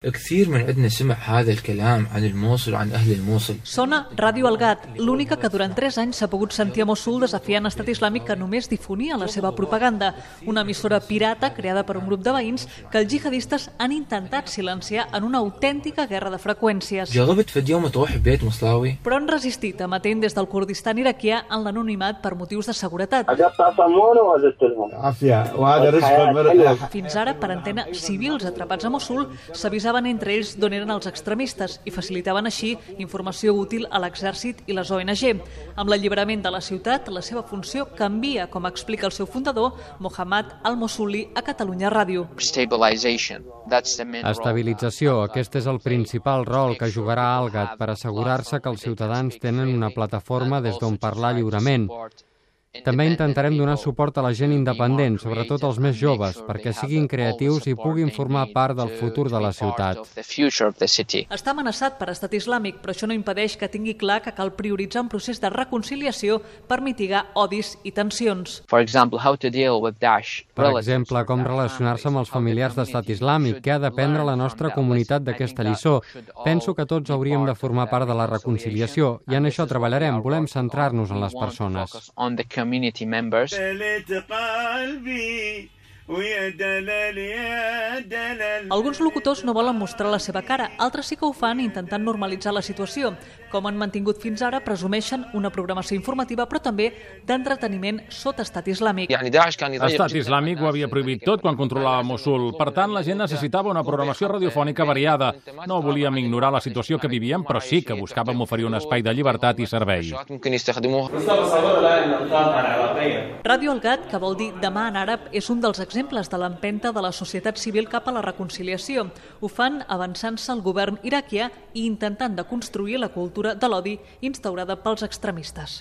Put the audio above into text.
كثير من عندنا سمع هذا الكلام عن الموصل وعن أهل الموصل. Sona Ràdio Algat, l'única que durant 3 anys s'ha pogut sentir a Mossul desafiant Estat Islàmic que només difonia la seva propaganda. Una emissora pirata creada per un grup de veïns que els jihadistes han intentat silenciar en una autèntica guerra de freqüències. جربت في اليوم تروح بيت مصلاوي؟ Però han resistit emetent des del Kurdistan iraquià en l'anonimat per motius de seguretat. Fins ara, per antena, civils atrapats a Mossul s'avisaven entre ells d'on eren els extremistes i facilitaven així informació útil a l'exèrcit i les ONG. Amb l'alliberament de la ciutat, la seva funció canvia, com explica el seu fundador, Mohammad Al-Mosuli, a Catalunya Ràdio. Estabilització, aquest és el principal rol que jugarà Algat per assegurar-se que els ciutadans tenen una plataforma des d'on parlar lliurement. També intentarem donar suport a la gent independent, sobretot als més joves, perquè siguin creatius i puguin formar part del futur de la ciutat. Està amenaçat per Estat Islàmic, però això no impedeix que tingui clar que cal prioritzar un procés de reconciliació per mitigar odis i tensions. Per exemple, com relacionar-se amb els familiars d'Estat Islàmic, què ha d'aprendre la nostra comunitat d'aquesta lliçó. Penso que tots hauríem de formar part de la reconciliació, i en això treballarem, volem centrar-nos en les persones. Community members. Alguns locutors no volen mostrar la seva cara, altres sí que ho fan intentant normalitzar la situació. Com han mantingut fins ara, presumeixen una programació informativa, però també d'entreteniment sota Estat Islàmic. Estat Islàmic ho havia prohibit tot quan controlava Mossul. Per tant, la gent necessitava una programació radiofònica variada. No volíem ignorar la situació que vivíem, però sí que buscàvem oferir un espai de llibertat i servei. Ràdio Algat, que vol dir demà en àrab, és un dels exemples de l'empenta de la societat civil cap a la reconciliació. Ho fan avançant-se al govern iraquià i intentant de construir la cultura de l'odi instaurada pels extremistes.